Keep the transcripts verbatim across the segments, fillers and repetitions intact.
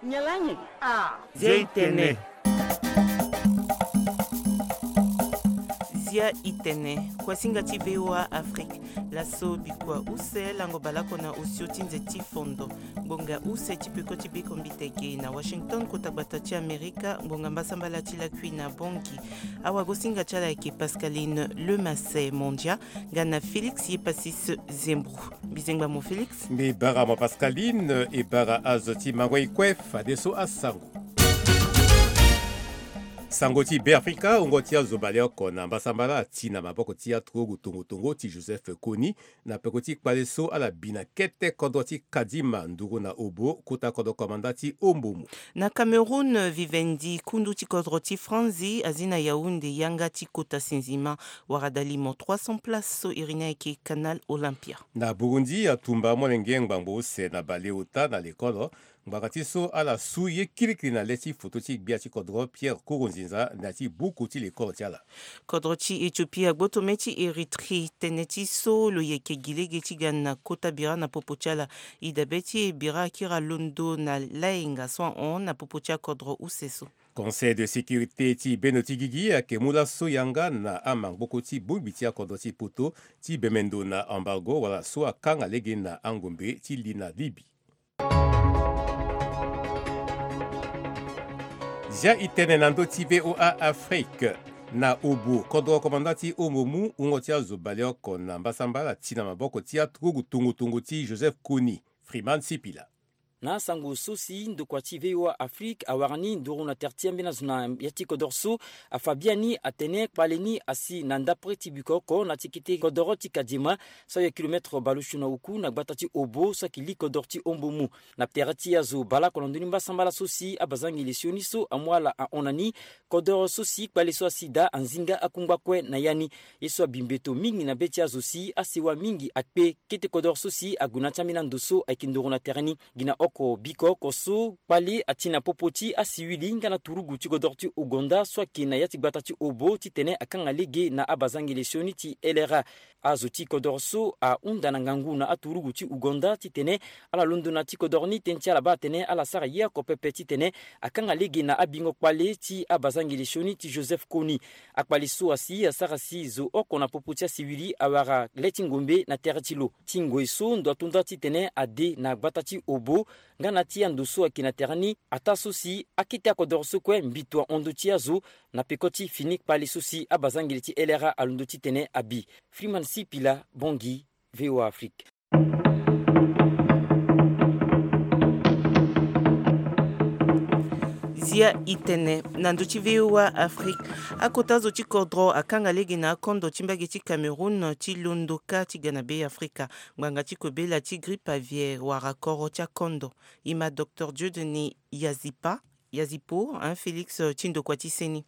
Nyalangi. Ah. Zia i tene. Zia i tene. Kuasinga ti V O A Afrique. Laso bikua use lango baleoko na osio ti nze ti fondo. Ngbonga use ti peko ti beko mbiteke na Washington, kota gbata ti Amerika, ngbonga mbasambala ti lakui na Bangui. Awagosinga ti ala ayeke Pascaline Lemasset Mondia, nga na Félix Yepasis Zembro. Mbizengba mo Félix. Mbi bara mo Pascaline, e bara azo ti mango e kue fadeso asango. Sango ti Beafrika, wungo ti azo baleoko na mbasambala ati na maboko ti aturugu tongo tongo ti Joseph Kony, na peko ti kpale so ala bi na kete kodro ti Kadima nduru na Obo, kota kodro komanda ti Ombomu. Na Cameroun, Vivendi, kundu ti kodro ti Franzi, azi na Yaoundé yanga ti kota sinzima, wara dalimo trois cents places so iri ni ayeke Canal Olympia. Na Burundi, atumba molenge ngbangbo use na baleota na lekolo, ngbanga ti so ala su ye kirikiri na le ti foto ti gbia ti kodro Pierre Nkurunziza na ya ti buku ti lekolo ti ala. Kodro ti Éthiopie agboto mê ti Érythrée tënë ti so lo yeke gi lege ti ga na kota bira na popo ti ala. E dabe ti e bira akiri alondo na laenga so ahon na popo ti akodro use so. Conseil de sécurité ti bendo ti gigi ayeke mu laso yanga na amangboko ti bongbi ti akodro ti poto ti bemendo na embargo wala so akanga lege na angombe ti li na Libye. Zia e tene na ndö ti V O A Afrique. Na Obo, kodro komanda ti Ombomu, wungo ti azo baleoko na mbasambala ati na maboko ti aturugu tongo tongo ti Joseph Kony. Freeman Sipila. Na asango so si ndokua ti V O A Afrique awara ni nduru na tere ti ambeni azo na ya ti kodro so, afa biani atene kpale ni asi na ndapre ti biko oko na ti kete kodro ti Kadima, so ayeke kilomètre bale osio na oku na gbata ti Obo so ayeke li kodro ti Ombomu. Na tere ti azo baleoko na ndö ni mbasambala so si abazangele sioni so amu ala ahon na ni, kodro so si kpale so asi daa anzinga akungba kue na ya ni. Ye so abi mbeto mingi na be ti azo si asewa mingi akpe. Kete kodro so si ague na ya ti ambeni ando so ayeke nduru na tere ni. Gi na oko biko oko so kpale ati na popo ti asiwili nga na turugu ti kodro ti Ouganda so ayeke na ya ti gbata ti Obo titene akanga lege na abazangele sioni ti L R A. Azo ti kodro so ahunda na ngangu na aturugu ti Ouganda titene ala londo na ya ti kodro ni, tënë ti ala baa atene ala sara ye oko pepe titene akanga lege na abingo kpale ti abazangele sioni ti Joseph Kony. Akpale so asi asara si zo oko na popo ti asiwili awara le ti ngombe na tere ti lo. Ti ngoi so ndo ato nda titene ade na gbata ti Obo nga na ti ando so ayeke na tere ni, ataa so si akete akodro so kue mbito ahon ndö ti azo na peko ti fini kpale so si abazangele ti L R A alondo titene abi. Freeman Sipila, Bangui, V O A Afrique. Zia e tene na ndö ti V O A Afrique. Akota zo ti kodro akanga lege na akondo ti mbage ti Cameroun ti londo kâ ti ga na Beafrika ngbanga ti kobela ti grippe aviaire wala koro ti akondo. E ma docteur Dieudonné Yazipa, Yazipo, hein, Félix, euh, ti ndokua ti seni.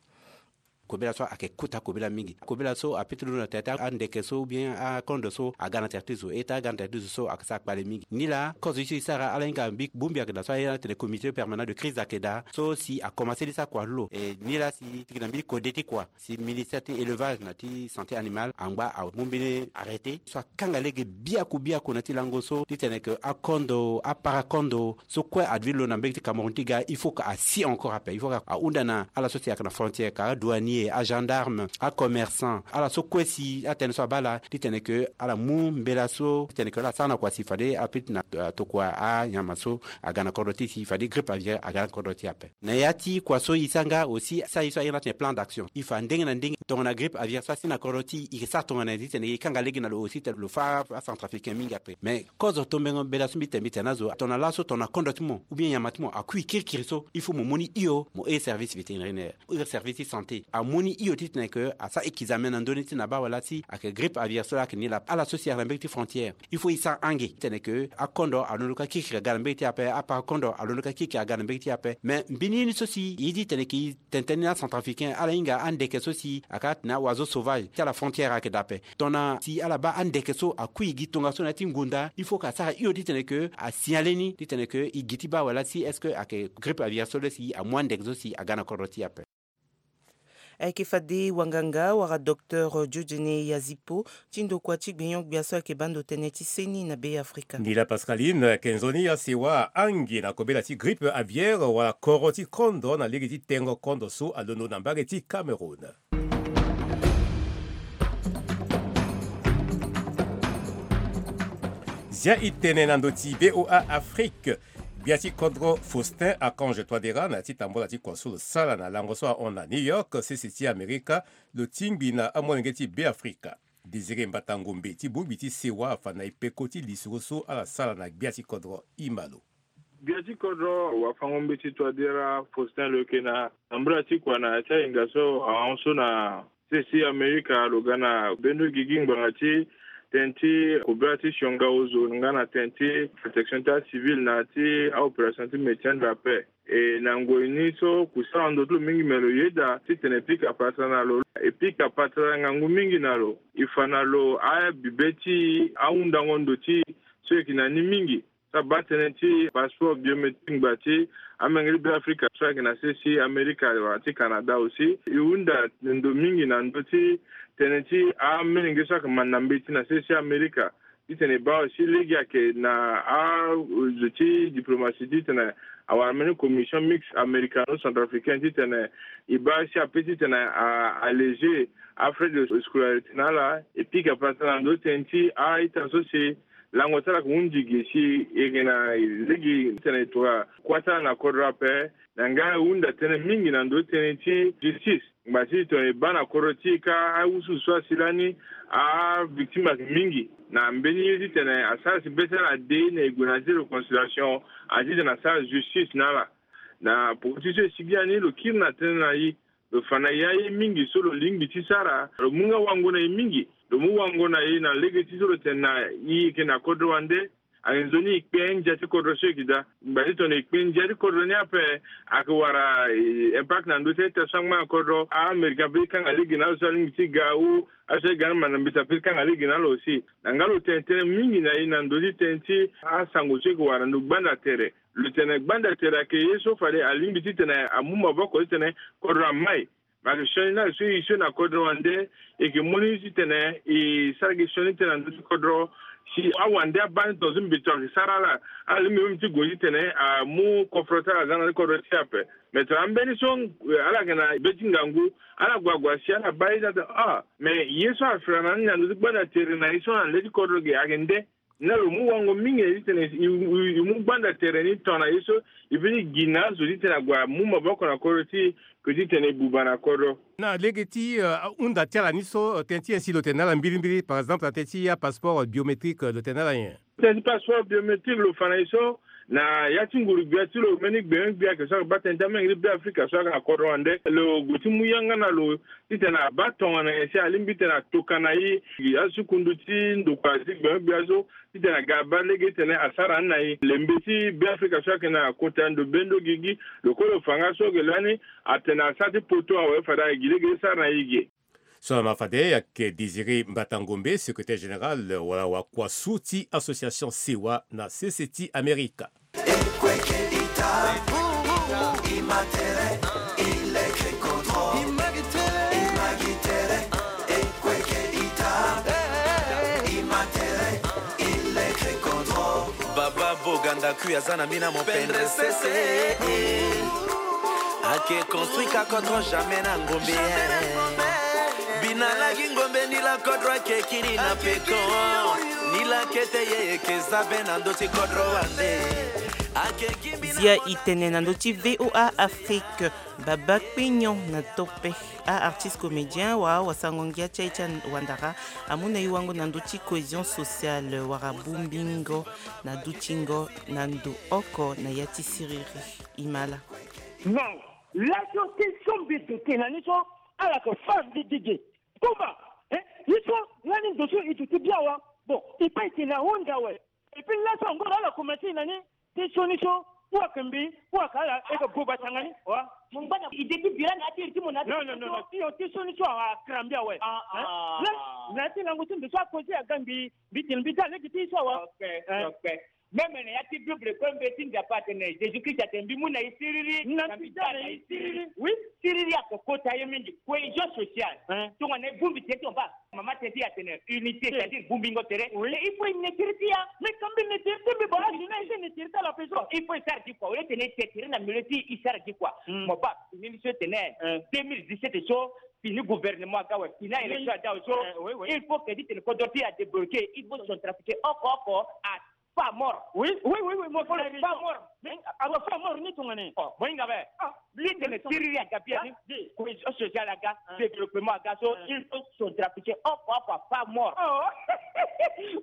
Kobela so ayeke kota kobela mingi. Kobela so apeut ti londo na tere ti andeke so ou bien akondo so aga na tere ti zo. E ta aga na tere ti zo so ayeke sara kpale mingi. Nilaa kozo ye so e sara ala hinga mbi bongbi ayeke daa so aye atene comité permanent de crise ayeke daa so si akomanse ni sara kua lo. E nilaa si tiki na mbeni kode ti kua si ministère ti élevage na ti santé animale angba amu mbeni arrêté so akanga lege biaku biaku na ti lango so titene ke akondo, apara kondo so kue adevi lo na mbage ti Cameroun ti ga, il faut que asi encore ape, il faut que ahunda na ala so si ayeke na frontière, ka adouanier, agendarme, acommerçant, ala so kue si atënë so abaa ala titene ke ala mu mbela so titene ke ala sara na kua si fade apeut na, euh, tokua anyama so aga na kodro ti e si fade grippe aviaire aga na kodro ti e ape. Na ya ti kua so e sara nga aussi, e sara ye so aye na atene plan d'action. E fa ndenge na ndenge tongana grippe aviaire so asi na kodro ti e, e sara tongana nyen titene e kanga lege na lo aussi titene lo fâ acentrafricain mingi ape. Mais kozo tombeno mbela so mbi tene, mbi tene na zo, tongana laso tongana kondo ti mo ou bien nyama ti mo akui kirikiri so, il faut mo mu ni hio, mo hiri service vétérinaire, hiri service ti santé, amu ni hio titene ke asara examen na ndö ni ti na baa wala si ayeke grippe aviaire so laa ayeke ni laa. Ala so si ayeke na mbage ti frontière, il faut e sara ange titene ke akondo alondo kâ kirikiri aga na mbage ti e ape, apara kondo alondo kâ kirikiri aga na mbage ti e ape. Mais mbeni ye ni so si e ye ti tene ke e tene tënë ni na acentrafricain, ala hinga andeke so si ayeke atene aoiseau sauvage ti ala frontière ayeke daa ape. Tongana si ala baa andeke so akui gi tongaso na ya ti ngonda, il faut ke asara hio titene ke asignale ni titene ke e gi ti baa wala si est-ce que ayeke grippe aviaire so le si amu andeke so si aga na kodro ti e ape. Ayeke fade wanganga wala docteur Dieudonné Yazipo ti ndokua ti gbenyo-gbia so ayeke baa ndo tënë ti seni na Be Afrika. Nila Pascaline ayeke nzoni asewa ange na kobela ti grippe aviaire wala koro ti kondo na lege ti tengo kondo so alondo na mbage ti Cameroun. Zia e tene na ndö ti V O A Afrique. Gbia ti kodro Faustin Archange Touadéra na ya ti tambola ti kua so lo sara na lango so ahon na New York, sese ti Amerika, lo tingbi na amolenge ti Be Afrika. Désiré Mbata Ngombe ti bongbi ti sewa afa na e peko ti lisoro so ala sara na gbia ti kodro. E ma lo. Gbia ti kodro wafango-mbeti Touadéra Faustin lo yeke na tambula ti kua na ya ti ahinga so ahon so na sese ti Amerika, lo ga na bendo gigi ngbanga ti tënë ti kobela ti sionga ozo nga na tënë ti protection ti acivil na ya ti aopération ti maintien de la paix. E na ngoi ni so kusala ndo ti lo mingi, me lo yeda titene e pika patara na lo, e pika patara ngangu mingi na lo. E fa na lo abibe ti ahundango ndo ti e so e yeke na ni mingi. Ti abaa tënë ti passeport biométrique ngba ti amolenge ti Be Afrika so ayeke na sese ti Amerika wala ti Canada aussi. E hunda ndo mingi na ndö ti tënë ti amolenge so ayeke manda mbeti na sese ti Amerika. Titene e baa aussi lege ayeke na azo ti diplomatie titene awara mbeni commission mixte américano-centrafricaine titene e baa si ape titene a alléger afrais de scolarité na ala. E pika patara na ndö ti tënë ti a-ita so si lango ti ala ayeke hundi ge si e yeke na lege titene e tokua kuâ ti ala na kodro ape. Na nga e hunda tënë mingi na ndö ti tënë ti justice ngba ti tongana e baa na kodro ti e kâ awusuwusu so asi lani, avictime ayeke mingi. Na mbeni ye titene asara si be ti ala ade na e gue na ya ti réconciliation, ade titene asara justice na ala. Na poko ti so e sigi ani lo kiri na tënë na e. Lo fa na e aye mingi so lo lingbi ti sara. Lo mu nga wango na e mingi. Lo mu wango na e na lege ti so lo tene na e yeke na kodro wande. Ayeke nzoni e kpe ndia ti kodro so e yeke daa. Ngba ti tongana e kpe ndia ti kodro ni ape, ayeke wara eh, impact na ndö ti a-ita so angba na kodro. A-Américain ape ti kanga lege na ala so alingbi ti ga ou aso aye ga ni manda mbeti ape ti kanga lege na ala aussi. Na nga lo tene tënë mingi na e na ndö ti tënë ti asango so e yeke wara na ndö gbanda tere. Lo tene gbanda tere ayeke ye so fade alingbi titene amu maboko titene kodro amai. Ma ayeke sioni ni ayeke so e sioni na kodro wande, e yeke mu ni titene e sara gi sioni tënë na ndö ti kodro. Si awande abaa ni tongaso mbeto ayeke sara ala, ala lingbi même ti gue titene amu kofro ti ala aza na ndö ti kodro ti e ape. Me tongana ambeni so ala yeke na be ti ngangu, ala gue agua si ala baa ye ti atene ah, me ye so afira na ni na ndö ti gbanda tere na ye so na le ti kodro ge ayeke nde. Na lo mu wango mingi na e titene e mu gbanda tere ni tongana ye so e peut ti gi na azo titene ague amu maboko na kodro ti e, ke titene e buba na kodro. Na lege ti ahunda ti ala ni so, tënë ti nyen si lo tene na ala mbirimbiri, par exemple na tënë ti apasseport biométrique, lo tene na ala nyen? Tënë ti passeport biométrique lo fa na e so, na ya ti nguru-gbia ti lo mbeni gbenyo-gbia ayeke so ayeke baa tënë ti amolenge ti Be Afrika so ayeke na kodro wande, lo gue ti mu yanga na lo titene abaa tongana nyen si alingbi titene atoka na e. Asi kundu ti ndokua ti gbenyo-gbia so titene aga abaa lege titene asara ni na e. Lembe ti Be Afrika so ayeke na kota ndo bendo gigi, lo kue lo fa nga so ge lani atene asara ti poto awe fade ayeke gi lege ti sara na e ge. So na ma fade ayeke Désiré Mbata Ngombe, secrétaire général wala wakua su ti association Sewa na sese ti Amerika. Baba Boganda kui aza na mina mopendre sese. Ake construit ka kotro jamais na ngombe. Bina lagi ngombe ni la kodro ake kiri na peko. Ni la kete ye eke za be na ndo ti kodro wande. Ake gimbi na Zia e tene na ndö ti V O A Afrique. Baba Kpenyon na Tope, a-artiste comédien wala wasango-ngia ti aye ti awandara, amu na e wango na ndö ti cohésion sociale wala bongbingo na dutingo na ndo oko na ya ti siriri. E ma ala. Non, laso ti so mbi duti na ni so ala yeke fa mbi dige. Kumba, eh, ye so lani ndo so e duti bien awe. Bon, e pe e tene ahunda awe. Et puis laso angoro ala commencer na ni ti sioni so ou ayeke mbi ou ayeke ala e yeke buba tanga ni wa. Mo ngba na ide ti bira na ya ti iri ti mo na ya ti. Non, non, non, non, ti yo ti sioni so akrambi awe. Ah, hein? Ah. Lani na ya ti lango ti mbi so akoze aga mbi, mbi tene mbi daa lege ti ye so awe. Ok, hein? Ok. Même na ya ti Bible kue, mbi ti Nzapa atene Jésus Christ atene mbi mu na e siriri, na mbi daa na e siriri. Oui. Siriri ake kota ye mingi. Cohésion sociale. Hein? Tongana e bongbi tene ti mo baa, mama tene ti e atene unité, c'est-à-dire bongbingo tere. Oui. Et il faut e ne tere ti e. Mais quand mbi ne tere ti mbi, bon, là, je n'ai, je ne tere ti ala peso. Il faut e sara gi kua. Au lieu tene e te tere na milieu ti e, e sara gi kua. Hmm. Mo baa, fini ni so e tene. Hein. Deux mille dix-sept so, fini gouvernement aga awe, fini élection aga awe so. Eh, oui, oui. Il faut que ti tene kodro ti e adébloqué. Il faut centrafricain oko oko a pas mort. Oui, oui, oui, oui, mo fo le pas mort. Mais alors, pas mort ni tongana nyen? Oh, mo hinga be. Ah, li tene siriri aga bia ni. Ah, di. Cohésion sociale aga, ah, développement aga so, ah, il faut centrafricain oko oko a pas mort. Oh.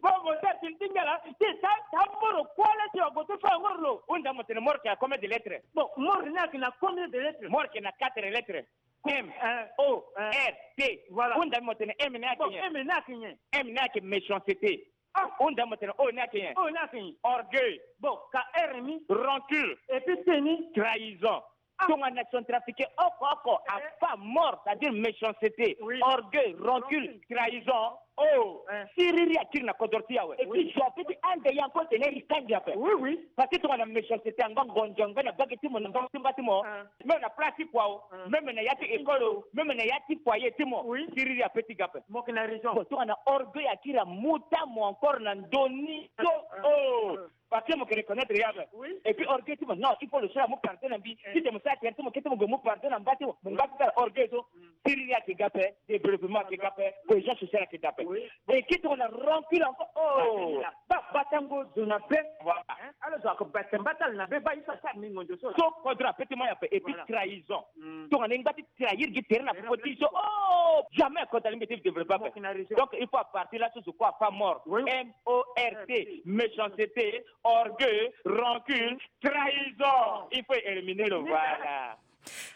Bon, mon père, tu me dis là, c'est ça, ça mort, quoi, là, tu as voté ça, mort, là. Hunda mo tene mort, c'est à combien de lettres? Bon, mort, il n'a que na combien de lettres? Mort, c'est na quatre lettres. M, hein, O, hein, R, T. Voilà. Hunda mo tene M ni ake nyen? M ni ake nyen? M ni ake méchanceté. Ah. Hunda mo tene O ni ake nyen? O ni ake nyen? Orgueil. Bon, ka R ni? Rancune. Et puis T ni? Trahison. Ah. Tongana centrafricain oko oko a pas mort, c'est-à-dire méchanceté, oui, orgueil, rancune, rancune, trahison. Oh, hein. Siriri akiri na kodro ti e awe. Et puis, oui, je peux dire, ande yango tene e kangi ape. Oui, oui. Parce que tongana méchanceté, anga ngonzo, anga na bage ti mo, na bage ti mba ti mo. Hein. Même na place ti kua o. Hein. Même na ya ti école o. Même na ya ti foyer ti mo. Oui. Siriri ape ti ga ape. Mo yeke na raison. Bon, tongana orgueil akiri amu ti mo encore na ndö ni so. Hein. Oh. Hein. Parce que mo yeke reconnaître ya ape. Oui. Et puis orgueil ti mo, non, il faut le sara amu pardon na mbi. Eh. Ti tene mo sara tere ti mo, kete mo gue mu pardon na mba ti mo. Mo nga ti sara orgueil so. Mm. Siriri ayeke ga ape, développement ayeke ga ape, cohésion sociale ayeke ga ape. Oui. Bon, e kiri tongana rancune encore. Oh. Ba, batango zo na be. Voilà. Hein? Ala zo ayeke bata mba ti ala na be, ba ye so asara ni ngonzo so. So kodro ape ti mo ape. Et puis trahison. Mm. Tongana e ngba ti trahir gi tere na popo ti e so. Oh, jamais kodro alingbi ti développer ape. Mo yeke na raison. Donc il faut à partir là so zo kue a pas mort. Oui. M O R T, méchanceté, orgueil, rancune, trahison. Il faut éliminer le, voilà.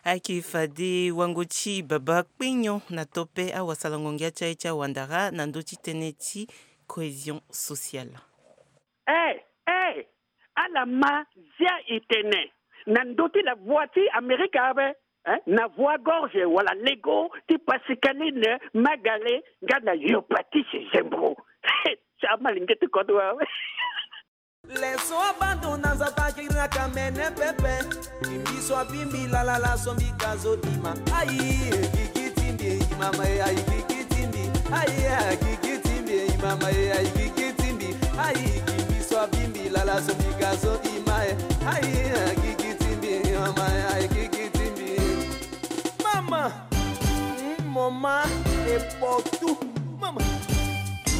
Ayeke fade wango ti baba kpinyo na tope awasalango ngia ti aye ti awandara na ndö ti tënë ti cohésion sociale. Eh, eh, ala ma zia e tene na ndö ti la voix ti Amerika awe, eh, na voix gorge wala lego ti Pascaline Magale nga na Yopatisi Zembro. Ti amalenge ti kodro awe. Leso abandon na Nzapa kiri na kamene pepe. Kimbi so abimbi lalala so mbi ka zo dima. Ayi, kiki timbi, mama, ayi, kiki timbi. Ayi, kiki timbi, mama, ayi, kiki timbi. Ayi, kimbi so abimbi lala so mbi ka zo dima. Ayi, kiki timbi, mama, ayi, kiki timbi. Mama, mm, mama, e poto. Mama.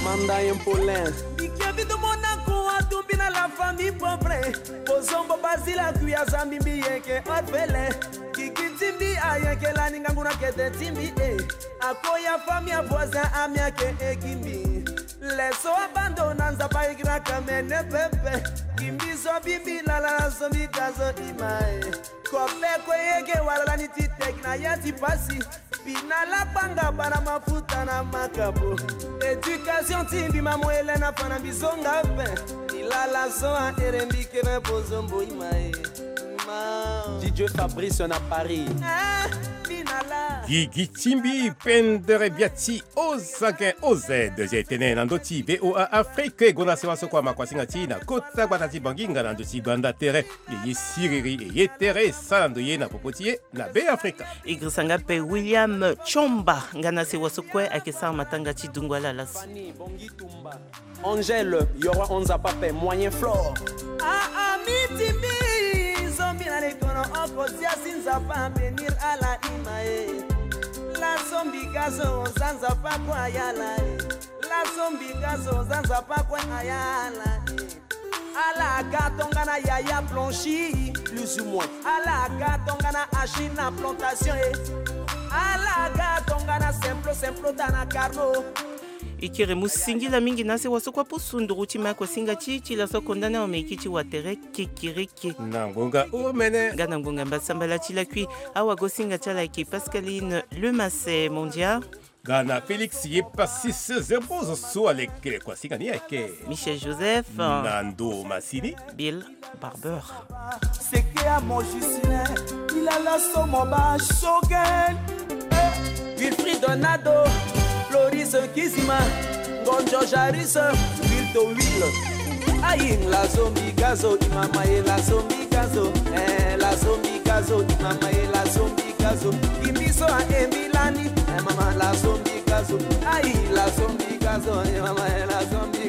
Manda Impolin. Mbi ke vide mo na kua tumbi na la famille pauvre. Kozombo bazila kui aza mbi mbi yeke orphelin. Kiki timbi ayeke lani ngangu na kete timbi e. Akoya famille avoisin ami ake eki mbi. Leso abandon na Nzapa eki na kamene pepe. Kimbi so abimbi lala so mbi ka zo dima e. Kope kue yeke wala lani ti teki na ya ti pasi. Mbi na lakpanga bana mafuta na makabo. Éducation ti mbi mamo Hélène afa na mbi zonga ape. Mbi lala so ahere mbi keve pozombo ima e. Ma. Didier Fabrice na Paris. Ah, mbi na la. Gigi ti mbi pendere bia ti Ozake O Z, je tene na ndö ti V O A Afrique, e gonda sewa so kua ma kuasinga ti na kota gbata ti Bangui nga na ndö ti gbanda tere. E ye siriri, e ye tere, e sara ndo ye na popo ti e na Be Afrika. E girisa nga ape William Tchomba, nga na sewa so kue ayeke sara matanga ti dungu ala laso. Angèle, Yoro Onza Pape, Moyen Flore. Ah, ah, miti mbi, zombi na likono oko zia si Nzapa bénir ala ima e. Laso mbi ka zo za Nzapa kue ayala e. Laso mbi ka zo za Nzapa kue ayala e. Ala ka tongana Yaya Blanchi, plus ou moins. Ala ka tongana Achina Plantation e. Ala ka tongana Simplo, Simplo tana Carlo. E kiri mu singila mingi na sewa so kua pusu nduru ti ma kuasinga ti e ti laso akonda ni awe, me e kiri ti wa tere kekereke. Na ngonga omene. Nga na ngonga mbasambala ti lakui. Awagosinga ti ala ayeke Pascaline Lemasse Mondia. Nga na Félix Yepasis Zebrozo so alekere kuasinga ni ayeke Michel Joseph. Na ndo masini. Bill Barber. Seke amo Justin, il a la somo ba showgirl. Eh, Wilfried Donado, Floris Kizima, Ngonjo Jaris, Wilto Will. Ayi la zombi gazo, i mama ye la zombi gazo. Eh, la zombi gazo, i mama ye la zombi gazo. Gi mbi so a e mbi lani, eh, mama la zombi gazo. Ayi la zombi gazo, i mama ye la zombi